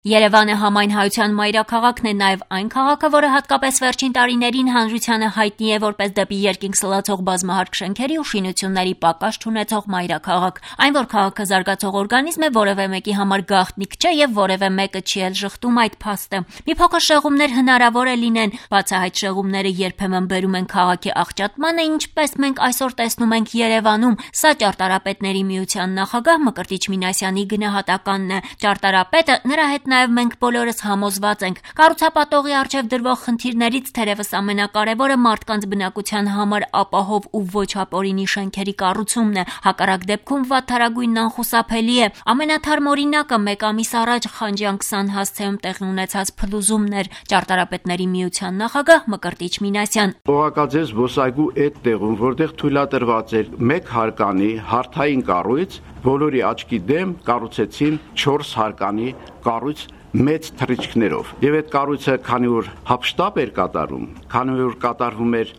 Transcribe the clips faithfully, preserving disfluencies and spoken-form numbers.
Երևանը համայն հայության մայրաքաղաքն է, նաև այն քաղաքը, որը հատկապես վերջին տարիներին հանրությանը հայտնի է որպես դեպի երկինք սլացող բազմահարկ շենքերի ու շինությունների պակաս չունեցող մայրաքաղաք։ Այն, որ քաղաքը զարգացող օրգանիզմ է, որևէ մեկի համար գաղտնիք չէ եւ որևէ մեկը չի էլ ժխտում այդ փաստը։ Մի փոքր շեղումներ հնարավոր է լինեն, բացահայտ շեղումները երբեմն բերում են քաղաքի աղճատմանը, ինչպես մենք այսօր տեսնում ենք Երևանում։ Սա ճարտարապետների միության նախագահ Մկրտիչ Մինասյանի գնահատականն է։ Ճարտարապետը նրա հետ Նաև մենք բոլորս համոզված ենք, կառուցապատողի առջև դրվող խնդիրներից թերևս ամենակարևորը մարդկանց բնակության համար ապահով ու ոչ ապօրինի շենքերի կառուցումն է, հակառակ դեպքում վատթարագույնն անխուսափելի է։ Ամենաթարմ օրինակը մեկ ամիս առաջ Խանջյան քսան հասցեում տեղի ունեցած փլուզումն էր։ Ճարտարապետների միության նախագահ Մկրտիչ Մինասյան. Օղակաձև զբոսայգու այդ տեղում, որտեղ թույլատրված էր մեկ հարկանի հարթային կառույց, բոլորի աչքի դեմ կառուցեցին չորս հարկանի կառույց մեծ թռիչքներով։ Եվ այդ կառույցը քանի որ հապշտապ էր կատարում, քանի որ կատարվում էր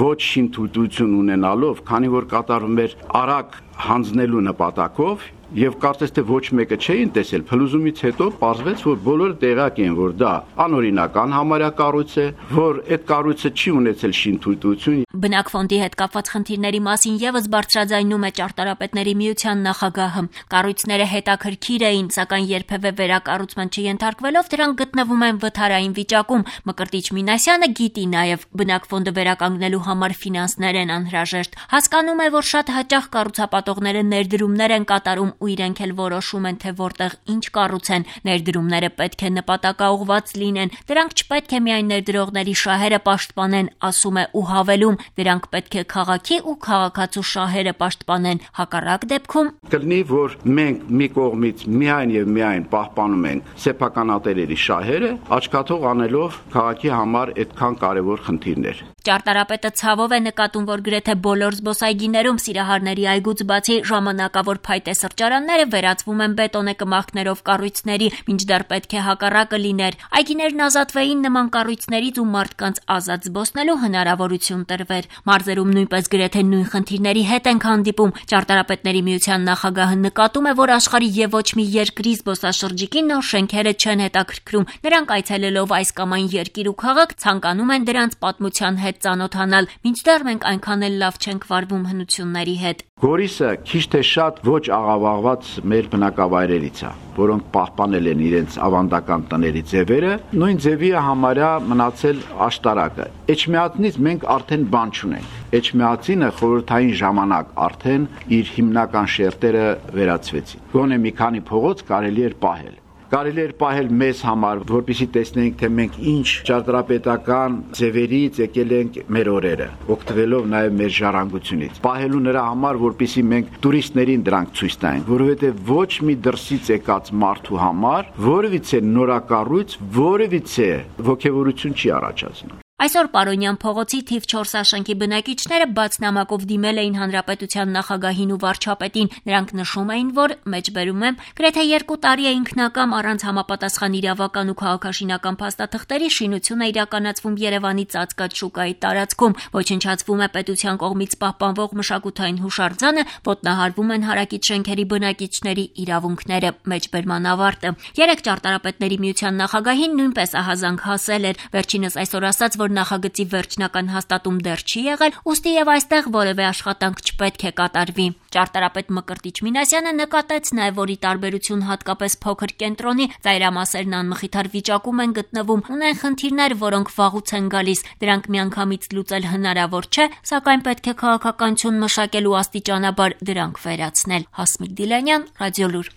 ոչ շինթույլտություն ունենալով, քանի որ կատարվում էր արագ հանձնելու նպատակով, եւ կարծես թե ոչ մեկը չէին տեսել, փլուզումից հետո պարզվեց, որ բոլորը տեղյակ են, որ դա անօրինական համարյա կառույց է, որ այդ կառույցը չի ունեցել շինթույլտություն։ Բնակֆոնդի հետ կապված խնդիրների մասին եւս բարձրաձայնում է ճարտարապետների միության նախագահը։ Կառույցները հետաքրքիր էին, սակայն երբևէ վերակառուցման չենթարկվելով դրանք գտնվում են վթարային վիճակում։ Մկրտիչ Մինասյանը գիտի նաեւ բնակֆոնդը վերականգնելու համար ֆինանսներ են անհրաժեշտ։ Հասկանում է, որ շատ հաճախ կառուցապատողները ներդրումներ են կատարում ու իրենք էլ որոշում են, թե որտեղ ինչ կառուցեն։ Ներդրումները պետք է նպատակաուղղված լինեն։ Դրանք չպետք է միայն ներդրողների շահերը պաշտպանեն, ասում է ու հավելում, դրանք պետք է քաղաքի ու քաղաքացու շահերը պաշտպանեն։ Հակառակ դեպքում կլինի, որ մենք մի կողմից միայն եւ միայն պահպանում ենք սեփականատերերի շահերը, աչքաթող անելով քաղաքի համար այդքան կարևոր խնդիրներ։ Ճարտարապետը ցավով է նկատում, որ գրեթե բոլոր զբոսայգիներում Սիրահարների այգուց բացի ժամանակավոր փայտե սրճարանները վերածվում են բետոնե կմախքներով կառույցների, մինչդեռ պետք է հակառակը լիներ։ Այգիներն ազատվեին նման կառույցներից ու մարդկանց ազատ զբոսնելու հնարավորություն տրվեր։ Մարզերում նույնպես գրեթե նույն խնդիրների հետ ենք հանդիպում։ Ճարտարապետների միության նախագահը նկատում է, որ աշխարհի եւ ոչ մի երկրի զբոսաշրջիկի նոր շենքերը չեն հետաքրքրում։ Նրանք այցելելով այս կամ այն երկիր ու քաղաք ցանկանում են դրանց պատմության հետ ծանոթանալ, մինչդեռ մենք այնքան էլ լավ չենք վարվում հնությունների հետ։ Գորիսը քիչ թե շատ ոչ աղավաղված մեր բնակավայրերից է, որոնք պահպանել են իրենց ավանդական տների ձևերը, նույն ձևի է համարյա մնացել աշտարակը։ Էջմիածնից մենք արդեն բան չունենք։ Էջմիածինը խորհրդային ժամանակ արդեն իր հիմնական շերտերը վերացվեցին։ Գոնե մի քանի փողոց կարելի էր պահել։ Կարելի էր պահել մեզ համար, որպեսզի տեսնենք, թե մենք ինչ ճարտարապետական ձևերից եկել ենք մեր օրերը, օգտվելով նաև մեր ժառանգությունից։ Պահելու նրա համար, որպեսզի մենք տուրիստներին դրանք ցույց տանենք, որովհետև ոչ մի դրսից եկած մարդու համար որևիցե նորակառույց, որևիցե ոգևորություն չի առաջացնում։ Այսօր Պարոնյան փողոցի թիվ չորս աշենքի բնակիչները բաց նամակով դիմել էին հանրապետության նախագահին ու վարչապետին։ Նրանք նշում էին, որ մեջբերում եմ գրեթե երկու տարի է ինքնակամ առանց համապատասխան իրավական ու քաղաքաշինական փաստաթղթերի շինությունը իրականացվում Երևանի ծածկած շուկայի տարածքում, ոչնչացվում է պետության կողմից պահպանվող մշակութային հուշարձանը, ոտնահարվում են հարակից շենքերի բնակիչների իրավունքները։ Մեջբերման ավարտը։ Երեք ճարտարապետների միության նախագահին նույնպես ահազանգ հասել էր։ Վերջինս այսօր ասաց, որ նախագծի վերջնական հաստատում դեռ չի եղել, ուստի եւ այստեղ որևէ աշխատանք չպետք է կատարվի։ Ճարտարապետ Մկրտիչ Մինասյանը նկատեց նաեւ, որ ի տարբերություն հատկապես փոքր կենտրոնի, ծայրամասերն անմխիթար վիճակում են գտնվում, ունեն խնդիրներ, որոնք վաղուց են գալիս։ Դրանք միանգամից լուծել հնարավոր չէ, սակայն պետք է քաղաքականություն մշակել ու աստիճանաբար դրանք վերացնել։ Հասմիկ Դիլանյան, Ռադիոլուր։